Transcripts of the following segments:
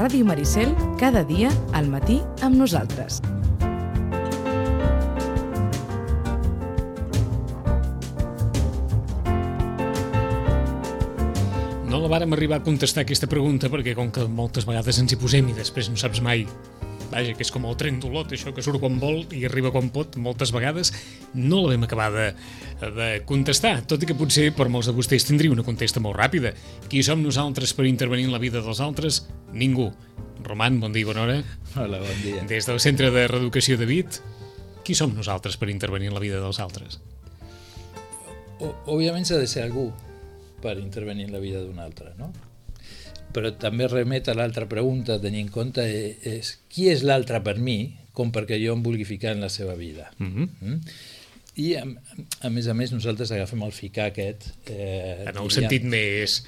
Ràdio Maricel, cada dia al matí amb nosaltres. No la vàrem arribar a contestar aquesta pregunta perquè com que moltes vegades ens hi posem i després no saps mai, vaja, que és com el tren d'Olot, això que surt quan vol i arriba quan pot, moltes vegades no la vam acabar de contestar, tot i que potser per molts de vostès tindria una contesta molt ràpida. Qui som nosaltres per intervenir en la vida dels altres? Ningú. Roman, bon dia i bona hora. Hola, bon dia. Des del Centre de Reeducació de Vic, qui som nosaltres per intervenir en la vida dels altres? Òbviament s'ha de ser algú per intervenir en la vida d'un altre, no? Però també remet a l'altra pregunta, tenir en compte és qui és l'altre per mi, com perquè jo em vulgui ficar en la seva vida. I a més nosaltres agafem el ficar aquest en el sentit més...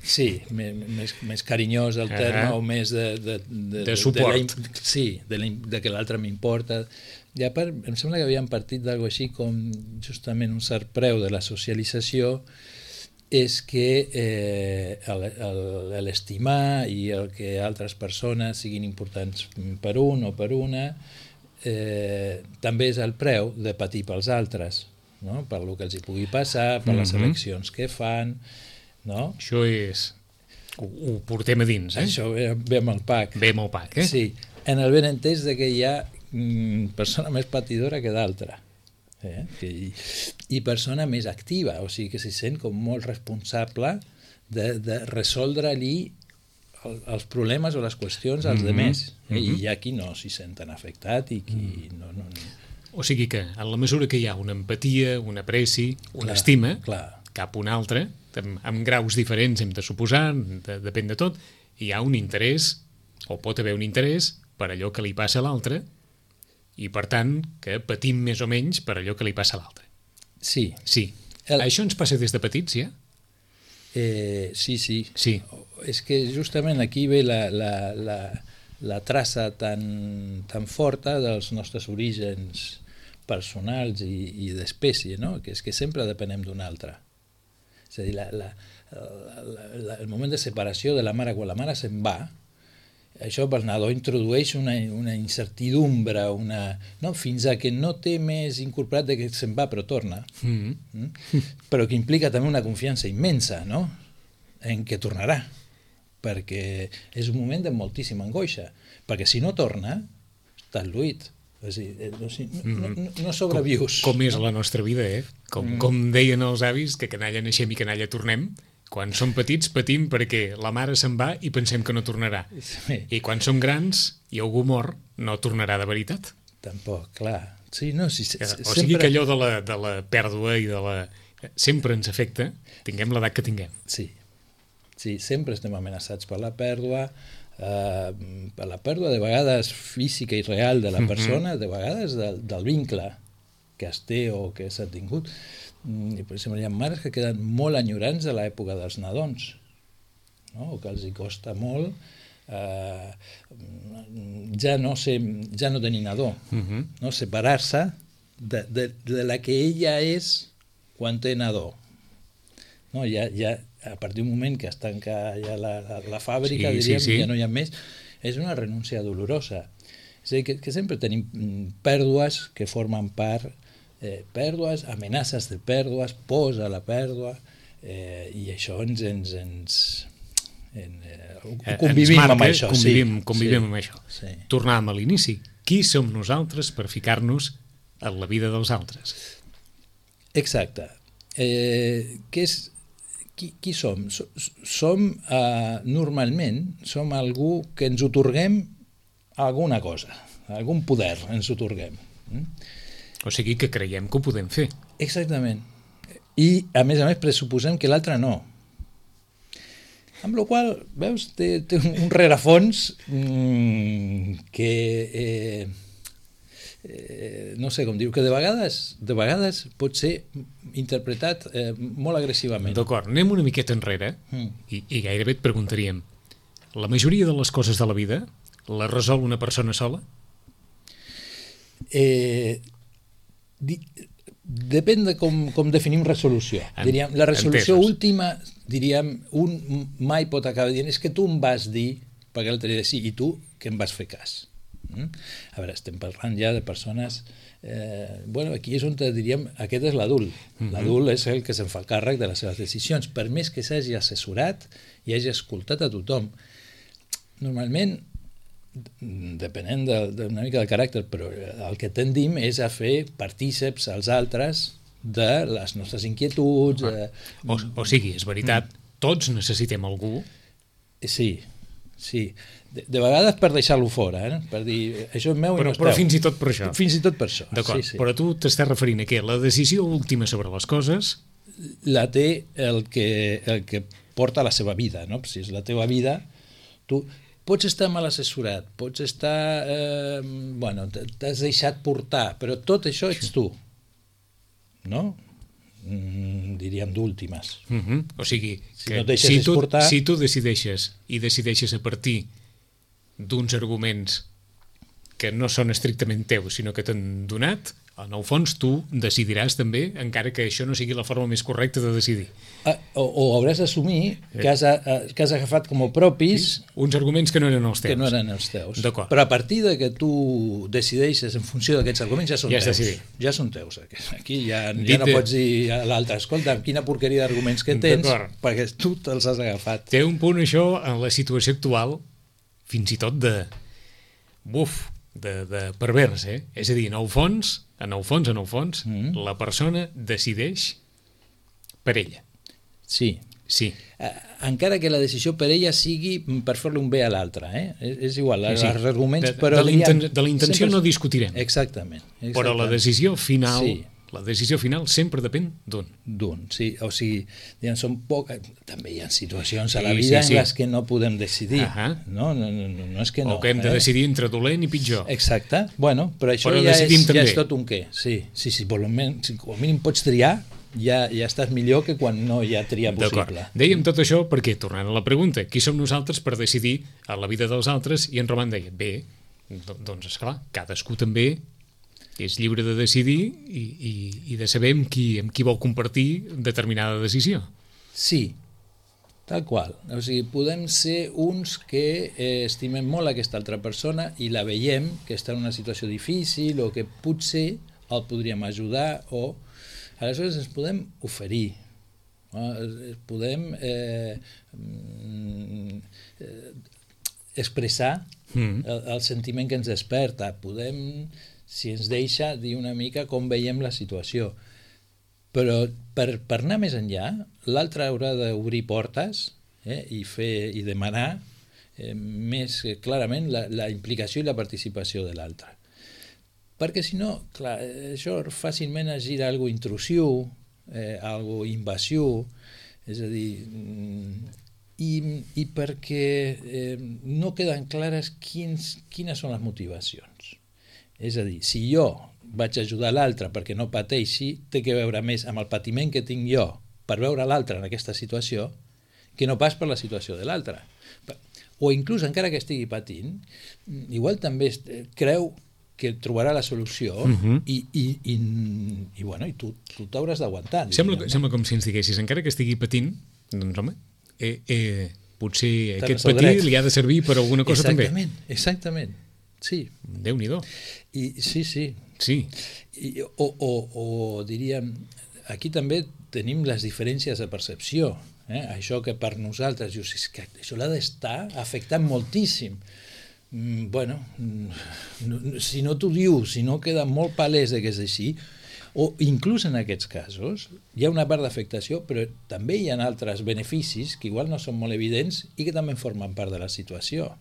Sí, més carinyós el terme, o més de suport. De que l'altre m'importa. I a part, em sembla que havíem partit d'algo així com justament un cert preu de la socialització és que l'estimar i el que altres persones siguin importants per un o per una també és el preu de patir pels altres, no? Per el que els hi pugui passar, per les eleccions que fan, no? Això és... Ho portem a dins, eh? Això ve amb el pack. Ve amb el pack, eh? Sí, en el benentès de que hi ha persona més patidora que d'altra. I persona més activa, o sigui que s'hi sent com molt responsable de resoldre-li els problemes o les qüestions als demés, i hi ha qui no s'hi senten afectat i qui no. O sigui que en la mesura que hi ha una empatia, un apreci, una estima cap a un altre, amb graus diferents hem de suposar, depèn de tot, hi ha un interès, o pot haver un interès per allò que li passa a l'altre, i per tant que patim més o menys per allò que li passa a l'altre. Sí. Això ens passa des de petits, ja? Sí. És que justament aquí ve la traça tan forta dels nostres orígens personals i d'espècie, no? Que és que sempre depenem d'un altre. És a dir, el moment de separació de la mare, quan la mare se'n va, això pel nadó introdueix una incertidumbre, fins a que no té més incorporat de que se'n va però torna, però que implica també una confiança immensa, no? En què tornarà, perquè és un moment de moltíssima angoixa, perquè si no torna, estàs lluït, no sobrevius. Com és la nostra vida, eh? Com deien els avis, que canalla naixem i canalla tornem. Quan som petits patim perquè la mare se'n va i pensem que no tornarà. Sí. I quan som grans i algú mor, no tornarà de veritat. Tampoc, clar. O sigui que allò de la pèrdua i de la... sempre ens afecta, tinguem l'edat que tinguem. Sí, sempre estem amenaçats per la pèrdua, de vegades física i real de la persona, de vegades del vincle que es té o que s'ha tingut. I per exemple hi ha mares que queden molt enyorants de l'època dels nadons, no? O que els hi costa molt ja no tenir nadó, no? Separar-se de la que ella és quan té nadó, no? Ja a partir d'un moment que es tanca ja la fàbrica, ja no hi ha més, és una renúncia dolorosa. És a dir, que sempre tenim pèrdues que formen part, pèrdues, amenaces de pèrdues, pors a la pèrdua, i això convivim amb això. Convivim amb això. Tornàvem a l'inici. Qui som nosaltres per ficar-nos en la vida dels altres? Exacte. Qui som? Normalment som algú que ens otorguem alguna cosa, algun poder ens otorguem. O sigui que creiem que ho podem fer. Exactament. I, a més, pressuposem que l'altre no. Amb la qual cosa, veus, té un rerefons que, no sé com dir-ho, que de vegades pot ser interpretat molt agressivament. D'acord, anem una miqueta enrere i gairebé et preguntaríem, la majoria de les coses de la vida la resol una persona sola? Depèn de com definim resolució. La resolució última, diríem, un mai pot acabar dient és que tu em vas dir perquè l'altre dia sí, i tu que em vas fer cas. A veure, estem parlant ja de persones... aquí és on diríem, aquest és l'adult. L'adult és el que se'n fa càrrec de les seves decisions, per més que s'hagi assessorat i hagi escoltat a tothom. Normalment, depenent d'una mica del caràcter, però el que tendim és a fer partíceps als altres de les nostres inquietuds. O sigui, és veritat, tots necessitem algú. Sí. De vegades per deixar-lo fora, per dir, això és meu i no és teu. Però fins i tot per això. Fins i tot per això. D'acord, sí. Però tu t'estàs referint a què? La decisió última sobre les coses... La té el que porta la seva vida, no? Si és la teva vida, tu pots estar mal assessorat, pots estar... t'has deixat portar, però tot això ets tu, no? Diríem d'últimes. O sigui, que si tu decideixes a partir d'uns arguments que no són estrictament teus, sinó que t'han donat, en el fons tu decidiràs també, encara que això no sigui la forma més correcta de decidir. O hauràs d'assumir que has agafat com a propis uns arguments que no eren els teus. Que no eren els teus. D'acord. Però a partir de que tu decideixes en funció d'aquests arguments ja són teus. Decidit. Ja són teus. Aquí ja no pots dir a l'altre, escolta, quina porqueria d'arguments que tens, perquè tu te'ls has agafat. Té un punt això en la situació actual, fins i tot de pervers, És a dir, en el fons, la persona decideix per ella. Sí. Encara que la decisió per ella sigui per fer-li un bé a l'altre, és igual, els arguments... De la intenció no discutirem. Exactament. Però la decisió final... Sí. La decisió final sempre depèn d'un. Sí. O sigui, són poques... També hi ha situacions a la vida en les que no podem decidir. No és que no. O que hem de decidir entre dolent i pitjor. Exacte. Però això ja és tot un què. Sí. Com a mínim pots triar, ja estàs millor que quan no hi ha tria possible. Dèiem tot això perquè, tornant a la pregunta, qui som nosaltres per decidir a la vida dels altres? I en Roman deia, doncs esclar, cadascú també és lliure de decidir i de saber amb qui vol compartir determinada decisió. Sí, tal qual. O sigui, podem ser uns que estimem molt aquesta altra persona i la veiem que està en una situació difícil o que potser el podríem ajudar o... Aleshores ens podem oferir, podem expressar el sentiment que ens desperta, podem... si ens deixa dir una mica com veiem la situació. Però per anar més enllà, l'altre haurà d'obrir portes i demanar més clarament la implicació i la participació de l'altre. Perquè si no, clar, això fàcilment es gira a algo intrusiu, algo invasiu, és a dir, i perquè no queden clares quines són les motivacions. És a dir, si jo vaig ajudar l'altre perquè no pateixi, té que veure més amb el patiment que tinc jo per veure l'altre en aquesta situació que no pas per la situació de l'altre. O inclús, encara que estigui patint, igual també creu que trobarà la solució i tu t'hauràs d'aguantar. Sembla com si ens diguessis, encara que estigui patint, doncs home, potser aquest patir li ha de servir per alguna cosa també. Exactament. Sí. Déu-n'hi-do. Sí. O diríem, aquí també tenim les diferències de percepció. Això que per nosaltres, això l'ha d'estar afectant moltíssim. Si no t'ho diu, si no queda molt palès que és així, o inclús en aquests casos hi ha una part d'afectació, però també hi ha altres beneficis que igual no són molt evidents i que també formen part de la situació.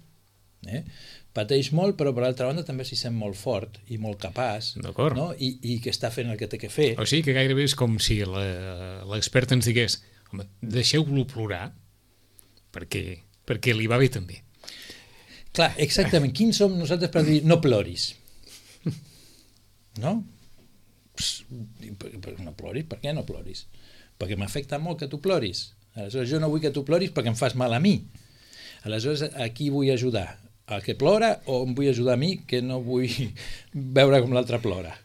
Pateix molt, però per l'altra banda també s'hi sent molt fort i molt capaç, no? I que està fent el que té que fer. O sigui que gairebé és com si l'expert ens digués, home, deixeu-lo plorar perquè li va bé també. Clar, exactament. Quins som nosaltres per dir no ploris? No? No ploris? Per què no ploris? Perquè m'afecta molt que tu ploris. Aleshores jo no vull que tu ploris perquè em fas mal a mi. Aleshores a qui vull ajudar? Al que plora o em vull ajudar a mi que no vull veure com l'altre plora?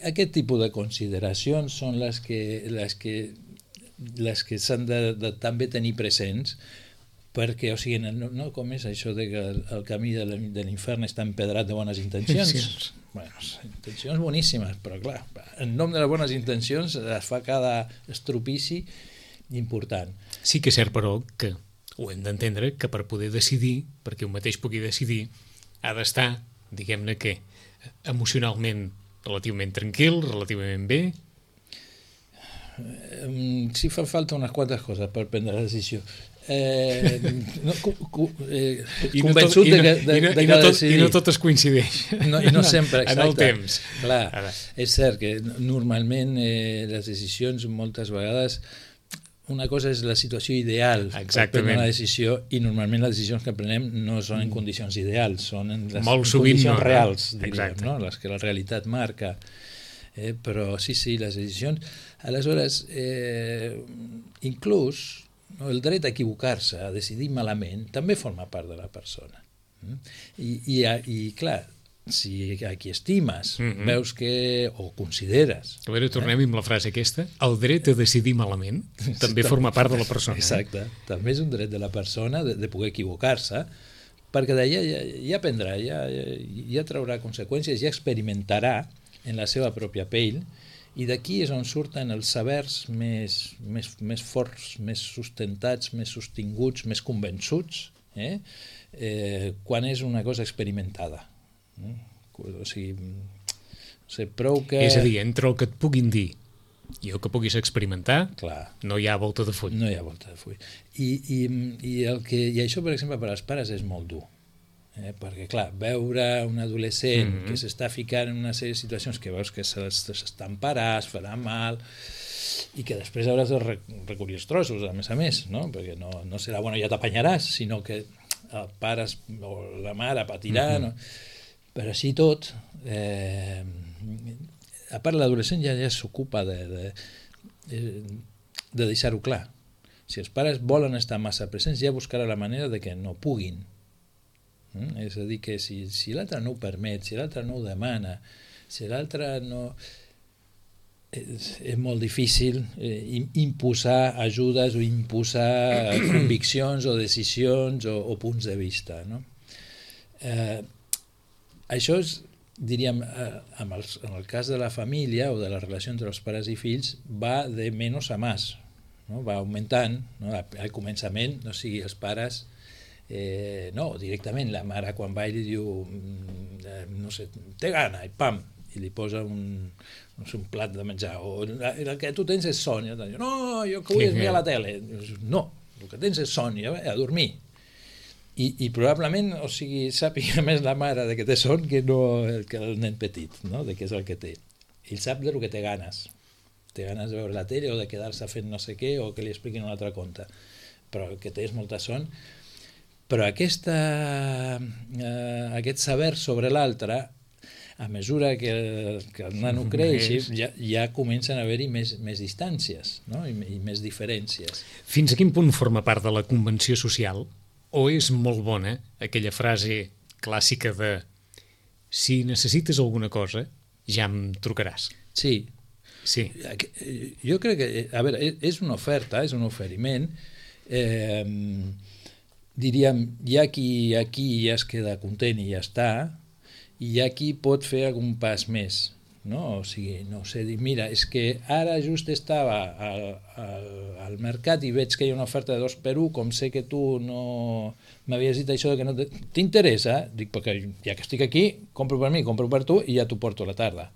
Aquest tipus de consideracions són les que les que s'han de també tenir presents, perquè, o sigui, no com és això de que el camí de l'infern està empedrat de bones intencions? Bueno, intencions boníssimes, però clar, en nom de les bones intencions es fa cada estropici important. Sí que és cert, però, que ho hem d'entendre, que per poder decidir, perquè un mateix pugui decidir, ha d'estar, diguem-ne que, emocionalment relativament tranquil, relativament bé. Sí, fa falta unes quantes coses per prendre la decisió. Convençut de que decidir. I no tot es coincideix. I no sempre, exacte. En el temps. Clar, és cert que normalment les decisions moltes vegades, una cosa és la situació ideal per prendre una decisió, i normalment les decisions que prenem no són en condicions ideals, són en les condicions reals, diríem, no? Les que la realitat marca. Però sí, les decisions. Aleshores, inclús el dret a equivocar-se, a decidir malament, també forma part de la persona. I clar, si a qui estimes veus que, o consideres... A veure, tornem amb la frase aquesta. El dret a decidir malament també forma part de la persona. Exacte. També és un dret de la persona de poder equivocar-se, perquè d'allà ja aprendrà, ja traurà conseqüències, ja experimentarà en la seva pròpia pell, i d'aquí és on surten els sabers més forts, més sustentats, més sostinguts, més convençuts, quan és una cosa experimentada. O sigui, prou que... És a dir, entre el que et puguin dir i el que puguis experimentar, clar, no hi ha volta de full. No hi ha volta de full. I això, per exemple, per als pares és molt dur. Perquè, clar, veure un adolescent que s'està ficant en una sèrie de situacions que veus que s'estamparà, es farà mal, i que després hauràs de recollir els trossos, a més, no? Perquè no serà, bueno, ja t'apanyaràs, sinó que el pare o la mare patirà, no? Però així tot, a part l'adolescent ja s'ocupa de deixar-ho clar. Si els pares volen estar massa presents, ja buscarà la manera de que no puguin. És a dir, que si l'altre no ho permet, si l'altre no ho demana, si l'altre no... És molt difícil imposar ajudes o imposar conviccions o decisions o punts de vista, no? Això és, diríem, en el cas de la família o de la relació entre els pares i fills, va de menys a més, no? Va augmentant, no? Al començament, no sigui els pares... no, directament la mare quan va i li diu no sé, té gana, i pam, i li posa un plat de menjar, o el que tu tens és son, i diu, no, jo que vull és mirar la tele. No, el que tens és son, a dormir. I probablement, o sigui, sàpiga més la mare de que té son que el nen petit, no? De què és el que té. Ell sap de lo que té ganes. Té ganes de veure la tele o de quedar-se fent no sé què o que li expliquin un altre conte. Però el que té és molta son. Però aquest saber sobre l'altre, a mesura que el nano creix, ja comencen a haver-hi més distàncies, no? I més diferències. Fins a quin punt forma part de la convenció social? O és molt bona aquella frase clàssica de si necessites alguna cosa, ja em trucaràs? Sí. Jo crec que, a veure, és una oferta, és un oferiment, diríem, hi ha qui aquí ja es queda content i ja està, i hi ha qui pot fer algun pas més, no? O sigui, no sé, dir, mira, és que ara just estava al mercat i veig que hi ha una oferta de 2 per 1, com sé que tu no m'havies dit això de que no t'interessa, dic, perquè ja que estic aquí, compro per mi, compro per tu i ja t'ho porto a la tarda.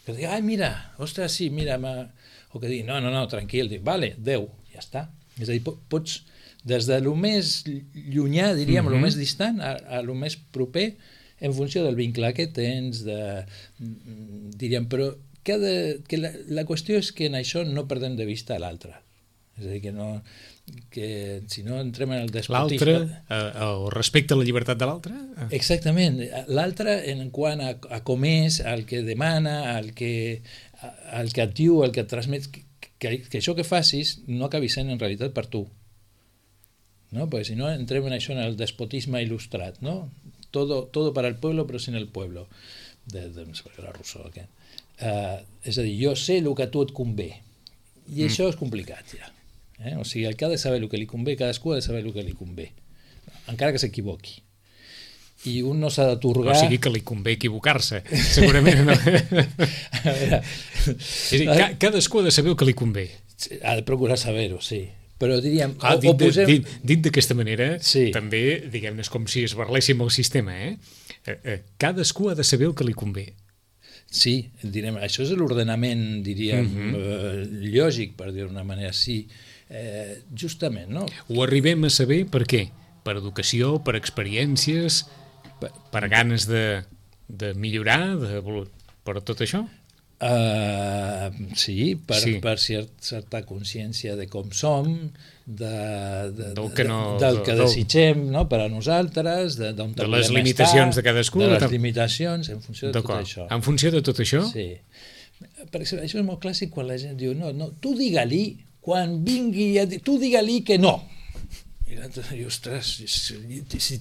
Que dic, ai, mira, ostres, sí, mira, o que digui, no, tranquil, dic, vale, 10, ja està. És a dir, pots... Des de lo més llunyà, diríem, lo més distant, a lo més proper, en funció del vincle que tens, diríem, però que la qüestió és que en això no perdem de vista l'altre. És a dir, que si no entrem en el despotisme... L'altre, o respecte a la llibertat de l'altre? Exactament. L'altre en quant a com és, el que demana, el que et diu, el que et transmet, que això que facis no acabi sent en realitat per tu. ¿no? Porque si no entrem en això, en el despotisme il·lustrat, ¿no? Todo para el pueblo però sin el pueblo, de Rousseau aquest. És a dir, jo sé el que a tu et convé I això és complicat, ja. O sigui, el que ha de saber el que li convé, cadascú ha de saber el que li convé, encara que s'equivoqui. I un no s'ha d'atorgar... O sigui que li convé equivocar-se, segurament. No? A veure... És a dir, cadascú ha de saber el que li convé. Ha de procurar saber-ho, sí. Però diríem... Dit d'aquesta manera, sí. També, diguem-ne, és com si es barléssim el sistema, cadascú ha de saber el que li convé. Sí, direm, això és l'ordenament, diríem, lògic, per dir-ho d'una manera, sí. Justament, no? Ho arribem a saber per què? Per educació, per experiències, per ganes de millorar, per tot això? Sí, per certa consciència de com som, del que desitgem, no? Per a nosaltres, de les limitacions de cadascú. De les limitacions, en funció de tot això. En funció de tot això? Sí. Per exemple, això és molt clàssic quan la gent diu no, tu digue-li, quan vingui, tu digue-li que no. I l'altre diu, ostres,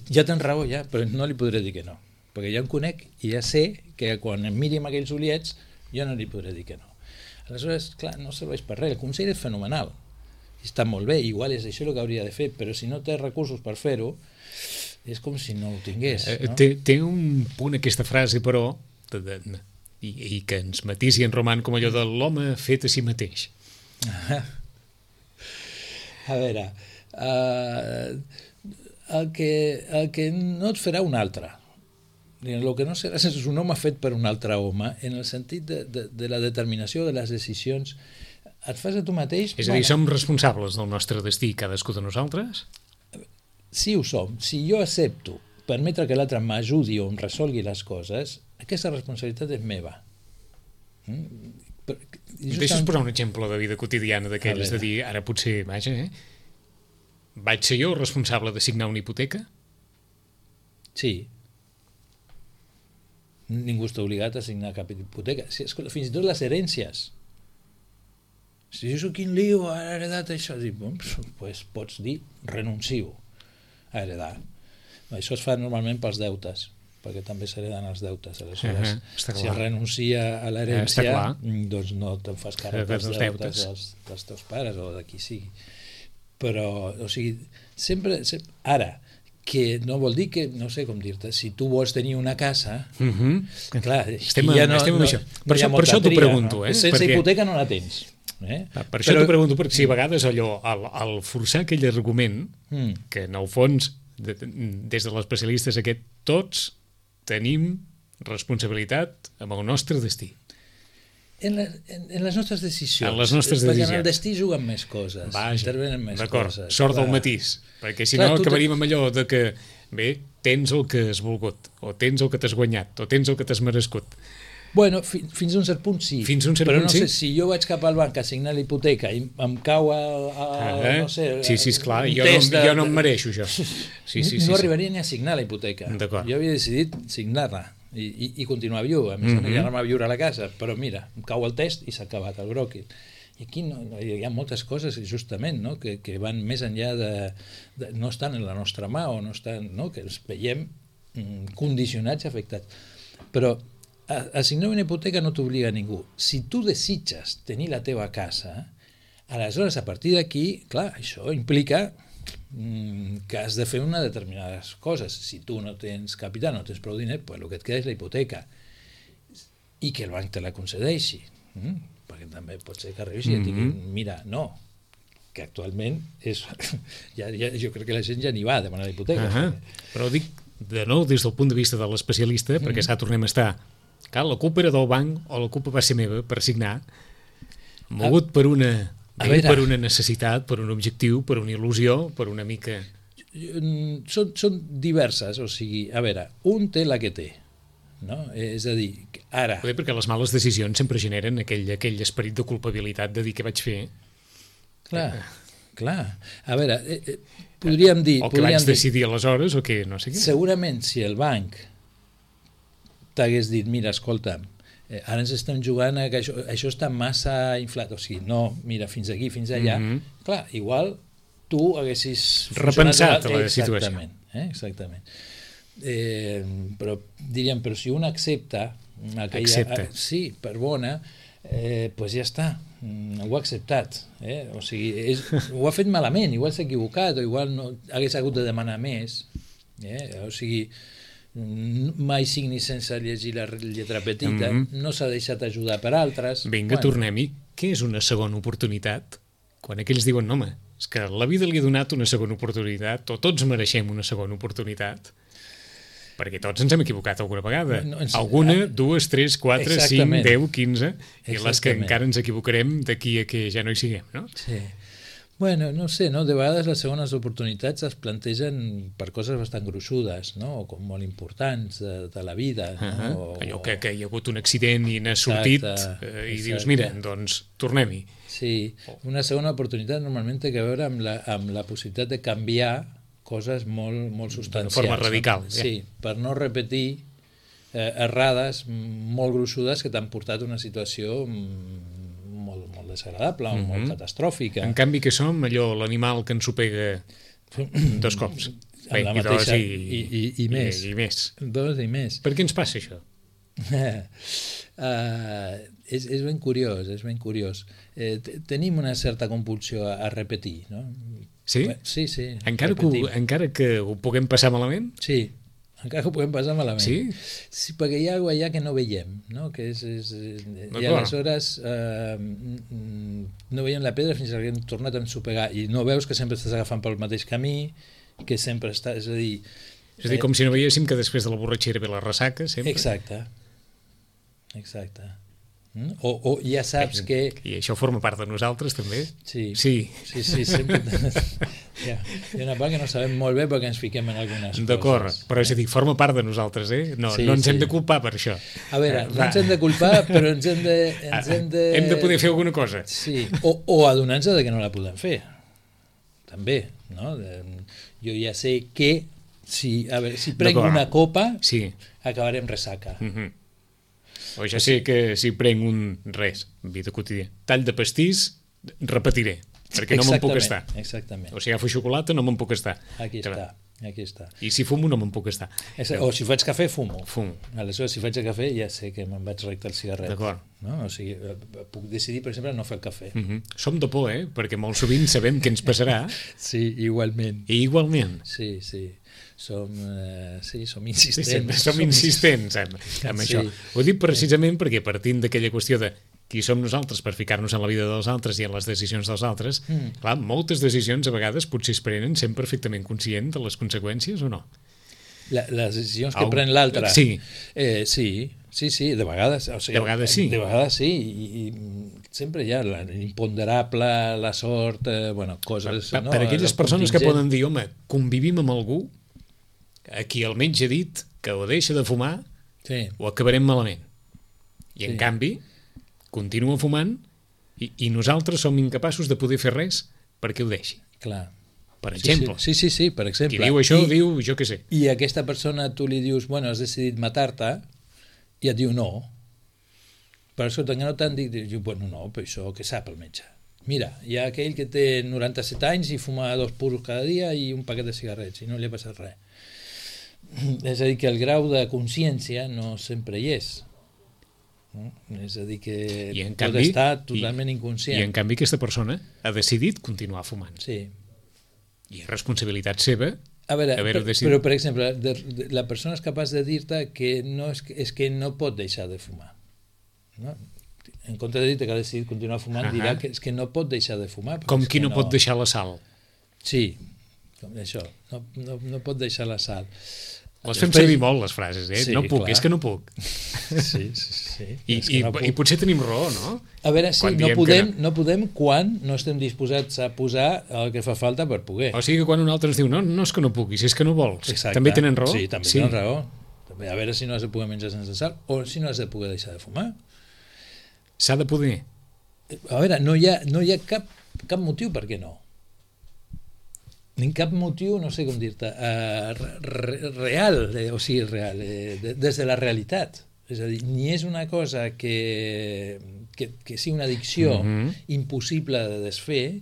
ja tens raó, ja, però no li podré dir que no, perquè ja em conec i ja sé que quan em miri amb aquells ullets jo no li podré dir que no. Aleshores, clar, no serveix per res, el consell és fenomenal, està molt bé, igual és això el que hauria de fer, però si no té recursos per fer-ho, és com si no ho tingués. No? Té un punt aquesta frase, però, i que ens matisi en Roman com allò de l'home fet a si mateix. A veure, el que no et farà un altre, el que no seràs és un home fet per un altre home, en el sentit de la determinació de les decisions, et fas a tu mateix... És a dir, som responsables del nostre destí, cadascú de nosaltres? Sí, ho som. Si jo accepto permetre que l'altre m'ajudi o em resolgui les coses, aquesta responsabilitat és meva. Deixa'ns posar un exemple de vida quotidiana d'aquells, de dir, ara potser, vaja, vaig ser jo responsable de signar una hipoteca? Sí. Ningú està obligat a signar cap hipoteca. Fins i tot les herències. Si jo soc quin lío, ha heredat això, doncs pots dir renuncio a heredar. Això es fa normalment pels deutes, perquè també s'hereden els deutes. Aleshores, si es renuncia a l'herència, doncs no te'n fas càrrec dels deutes dels teus pares o de qui sigui. Però, o sigui, sempre... Ara, que no vol dir que, no sé com dir-te, si tu vols tenir una casa, clar, estem amb això. Per això t'ho pregunto. Sense hipoteca no la tens. Per això t'ho pregunto, perquè si a vegades allò, al forçar aquell argument, que en el fons, des de l'especialistes aquest, tots tenim responsabilitat amb el nostre destí. En les nostres decisions. En les nostres decisions. Perquè en el destí juguen més coses, intervenen més coses. D'acord, sort del matís, perquè si no acabaríem amb allò de que, bé, tens el que has volgut, o tens el que t'has guanyat, o tens el que t'has merescut. Bueno, fins a un cert punt sí. Fins a un cert però punt no sí? Sé, si jo vaig cap al banc a signar la hipoteca i em cau no sé... Sí, esclar, jo no em mereixo això. No arribaria ni a signar la hipoteca. Jo havia decidit signar-la i continuar viu, a més ja anar a viure a la casa, però mira, em cau el test i s'ha acabat el bròquil. I aquí hi ha moltes coses, justament, no? que van més enllà de no estan en la nostra mà o no estan, no? Que els veiem condicionats i afectats. Però a signar una hipoteca no t'obliga a ningú. Si tu desitges tenir la teva casa, aleshores a partir d'aquí, clar, això implica que has de fer unes determinades coses. Si tu no tens capital, no tens prou diner, pues el que et queda és la hipoteca i que el banc te la concedeixi, perquè també pot ser que arribis i et diguin, mira, no, que actualment és... jo crec que la gent ja n'hi va a demanar la hipoteca. Però dic, de nou, des del punt de vista de l'especialista, perquè s'ha tornem a estar, clar, la culpa era del banc o la culpa va ser meva per signar, mogut per una necessitat, per un objectiu, per una il·lusió, per una mica... Són diverses, o sigui, a veure, un té la que té, no? És a dir, ara... Perquè les males decisions sempre generen aquell esperit de culpabilitat de dir què vaig fer. Clar. A veure, podríem dir... O que vaig decidir aleshores, o que no sé què. Segurament, si el banc t'hagués dit, mira, escolta'm, ara ens estem jugant a que això està massa inflat, o sigui, no, mira, fins aquí, fins allà, clar, igual tu haguessis... repensat la situació. Exactament. Però diríem, però si un accepta... Accepta. Sí, per bona, Pues ja està, ho ha acceptat. O sigui, ho ha fet malament, igual s'ha equivocat, o igual no, hagués hagut de demanar més. O sigui, mai signis sense llegir la lletra petita, no s'ha deixat ajudar per altres. Vinga, tornem-hi. Què és una segona oportunitat? Quan aquells diuen, no, home, és que la vida li ha donat una segona oportunitat, o tots mereixem una segona oportunitat, perquè tots ens hem equivocat alguna vegada. Alguna, 2, 3, 4, 5, 10, 15, i les que encara ens equivocarem d'aquí a que ja no hi siguem, no? Sí. Bueno, no sé, no? De vegades les segones oportunitats es plantegen per coses bastant gruixudes, no? O com molt importants de la vida. No? Allò que hi ha hagut un accident i n'has sortit i dius, mira, doncs tornem-hi. Sí, una segona oportunitat normalment té a veure amb la possibilitat de canviar coses molt substancials. De forma radical. Sí, per no repetir errades molt gruixudes que t'han portat a una situació molt desagradable o molt catastròfica. En canvi que som allò, l'animal que ens ho pega 2 cops. Amb la mateixa i més. I més. 2 i més. Per què ens passa això? És ben curiós, és ben curiós. Tenim una certa compulsió a repetir, no? Sí? Sí. Encara que ho puguem passar malament? Sí, encara que ho puguem passar malament. Sí? Sí, perquè hi ha alguna allà que no veiem, no? Que i aleshores no veiem la pedra fins que hem tornat a ensopegar i no veus que sempre estàs agafant pel mateix camí, que sempre està... És a dir, com si no veiéssim que després de la borratxera ve la ressaca, sempre. Exacte. O ja saps que... I això forma part de nosaltres, també? Sí, sempre... Hi ha una part que no sabem molt bé perquè ens fiquem en algunes coses. D'acord, però és a dir, forma part de nosaltres, No ens hem de culpar per això. A veure, no ens hem de culpar, però ens hem de... Hem de poder fer alguna cosa. Sí, o adonar-nos de que no la podem fer. També, no? Jo ja sé que si prenc una copa acabarem ressaca. O ja sé que si prenc vida quotidiana, tall de pastís, repetiré, perquè no me'n puc estar. Exactament. O si agafo xocolata, no me'n puc estar. Aquí està. I si fumo, no me'n puc estar. O si faig cafè, fumo. Fumo. Aleshores, si faig el cafè, ja sé que me'n vaig recte al cigarret. D'acord. No? O sigui, puc decidir, per exemple, no fer el cafè. Som de por, perquè molt sovint sabem què ens passarà. Sí, igualment. I igualment. Sí. Som insistents. Som insistents amb això. Ho dic precisament perquè partint d'aquella qüestió de qui som nosaltres per ficar-nos en la vida dels altres i en les decisions dels altres, clar, moltes decisions a vegades potser es prenen sent perfectament conscient de les conseqüències o no? Les decisions que pren l'altre? Sí. Sí, de vegades. O sigui, de vegades sí. De vegades sí, i sempre hi ha l'imponderable, la sort, coses... Per aquelles persones que poden dir, home, convivim amb algú a qui el metge ha dit que o deixa de fumar o acabarem malament. I en canvi continua fumant i nosaltres som incapaços de poder fer res perquè ho deixi. Clar. Per exemple. Sí, per exemple. Qui diu això, diu, jo què sé. I a aquesta persona tu li dius, has decidit matar-te, i et diu no. Per això que no t'han dit, no, però això què sap el metge? Mira, hi ha aquell que té 97 anys i fuma 2 puros cada dia i un paquet de cigarrets i no li ha passat res. És a dir, que el grau de consciència no sempre hi és. És a dir, que pot estar totalment inconscient. I en canvi aquesta persona ha decidit continuar fumant. Sí. I és responsabilitat seva haver-ho decidit. Però, per exemple, la persona és capaç de dir-te que és que no pot deixar de fumar. No? En compte de dir-te que ha decidit continuar fumant, dirà que és que no pot deixar de fumar. Com qui no pot deixar la sal. Sí, com això. No pot deixar la sal. Les fem servir molt, les frases, Sí, no puc, clar. És que no puc. Sí. I potser tenim raó, no? A veure, sí, no podem quan no estem disposats a posar el que fa falta per poder. O sigui que quan un altre ens diu, no és que no puc, i si és que no vols, Exacte. també tenen raó? Sí, també tenen raó. A veure si no has de poder menjar sense sal o si no has de poder deixar de fumar. S'ha de poder. A veure, no hi ha cap motiu per què no. Ni cap motiu, no sé com dir-te, real, des de la realitat. És a dir, ni és una cosa que sigui una addicció impossible de desfer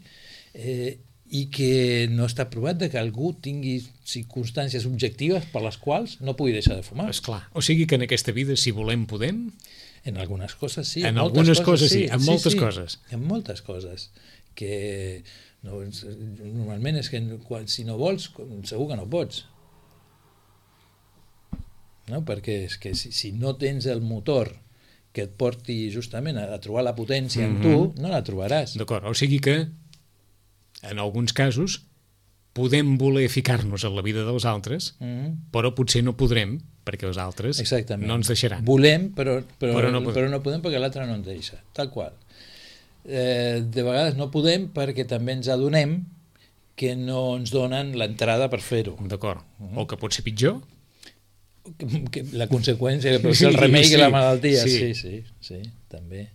i que no està provat de que algú tingui circumstàncies objectives per les quals no pugui deixar de fumar. Esclar. O sigui que en aquesta vida, si volem, podem? En algunes coses sí. En algunes coses sí, en moltes coses. En moltes coses. Que no, normalment és que si no vols, segur que no pots. No? Perquè és que si no tens el motor que et porti justament a trobar la potència en tu, no la trobaràs. D'acord, o sigui que en alguns casos podem voler ficar-nos en la vida dels altres, però potser no podrem perquè els altres no ens deixaran. Volem, però no podem perquè l'altre no ens deixa, tal qual. De vegades no podem perquè també ens adonem que no ens donen l'entrada per fer-ho. D'acord, o que pot ser pitjor. Que la conseqüència, que pot ser el remei que la malaltia. Sí, també.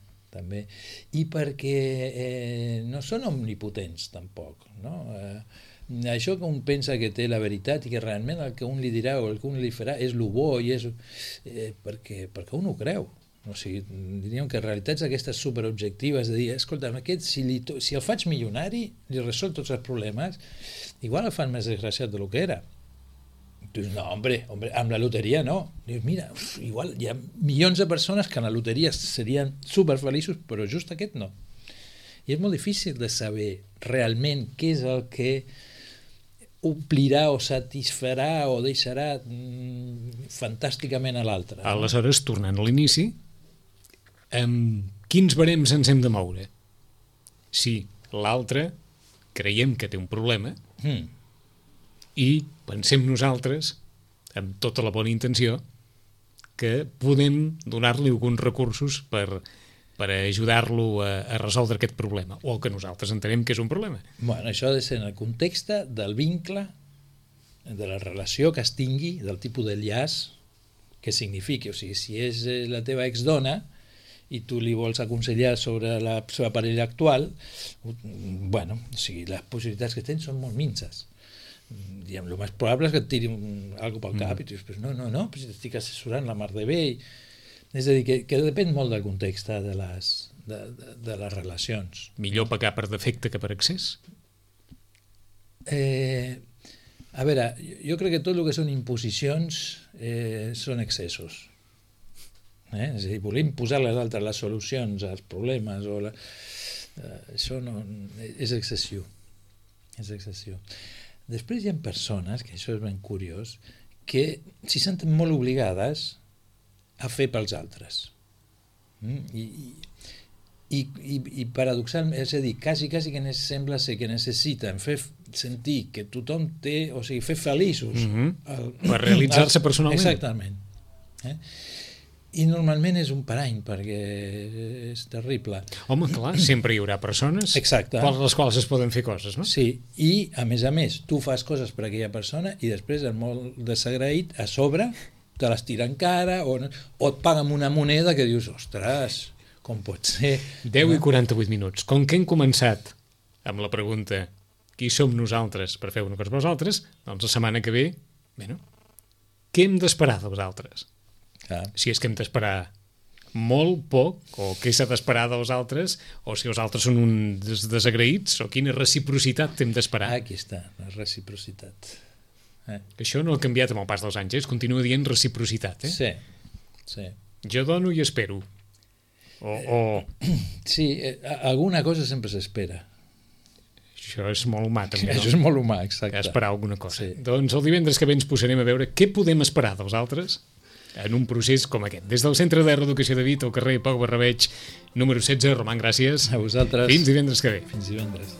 I perquè no són omnipotents tampoc, no? Això que un pensa que té la veritat i que realment el que un li dirà o el que un li farà és el bo i és perquè un ho creu. O sigui, diríem que realitats aquestes superobjectives de dir, escolta, aquest, si el faig milionari li resol tots els problemes, igual el fan més desgraciat del que era. Dius, no, hombre, amb la loteria no. Dius, mira, igual hi ha milions de persones que en la loteria serien superfeliços, però just aquest no. I és molt difícil de saber realment què és el que omplirà o satisfarà o deixarà fantàsticament a l'altre. Aleshores, tornant a l'inici, amb quins barems ens hem de moure? Si l'altre creiem que té un problema i pensem nosaltres, amb tota la bona intenció, que podem donar-li alguns recursos per ajudar-lo a resoldre aquest problema, o el que nosaltres entenem que és un problema. Bueno, això ha de ser en el context del vincle, de la relació que es tingui, del tipus de llaç que signifiqui. O sigui, si és la teva exdona i tu li vols aconsellar sobre la seva parella actual, bueno, o sigui, les possibilitats que tens són molt minces. Diguem, el més probable és que et tiri alguna pel cap i tu dius, no, però si t'estic assessorant la mar de bé. És a dir, que depèn molt del context de les relacions. Millor pagar per defecte que per excés? A veure, jo crec que tot el que són imposicions són excessos. És a dir, voler imposar a les altres les solucions als problemes això no, és excessiu. És excessiu. Després hi ha persones, que això és ben curiós, que s'hi senten molt obligades a fer pels altres. I paradoxalment, és a dir, quasi que sembla ser que necessiten fer sentir que tothom té, o sigui, fer feliços per realitzar-se personalment. Exactament. I normalment és un parany, perquè és terrible. Home, clar, sempre hi haurà persones per les quals es poden fer coses, no? Sí, i a més, tu fas coses per aquella persona i després, el molt desagraït, a sobre, te les tira en cara o et paga amb una moneda que dius, ostres, com pot ser? 10 i 48 minuts. Com que hem començat amb la pregunta qui som nosaltres per fer una cosa per vosaltres, doncs la setmana que ve, bueno, què hem d'esperar dels altres? Si és que hem d'esperar molt poc, o què s'ha d'esperar dels altres, o si els altres són uns desagraïts, o quina reciprocitat hem d'esperar. Aquí està, la reciprocitat. Això no ha canviat amb el pas dels anys, es continua dient reciprocitat. Sí. Jo dono i espero. Sí, alguna cosa sempre s'espera. Això és molt humà, també, no? Això és molt humà, exacte. Esperar alguna cosa. Doncs el divendres que ve ens posarem a veure què podem esperar dels altres en un procés com aquest. Des del Centre de Reeducació de Vic, al carrer Pau Barrabeig, número 16. Roman, gràcies. A vosaltres. Fins divendres que ve. Fins divendres.